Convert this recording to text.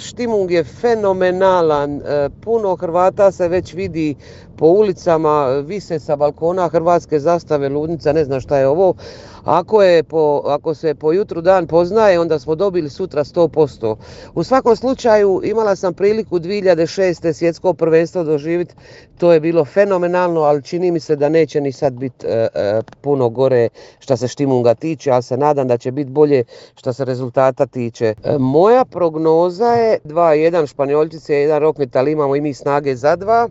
Štimung je fenomenalan, puno Hrvata se već vidi po ulicama, vise sa balkona hrvatske zastave, ludnica, ne znam šta je ovo. Ako se po jutru dan poznaje, onda smo dobili sutra 100%. U svakom slučaju imala sam priliku 2006. svjetsko prvenstvo doživjeti, to je bilo fenomenalno, ali čini mi se da neće ni sad biti puno gore što se Štimunga tiče, ali se nadam da će biti bolje što se rezultata tiče. Moja prognoza je 2-1 Španjolčice, 1 Rokmetal, imamo i mi snage za 2.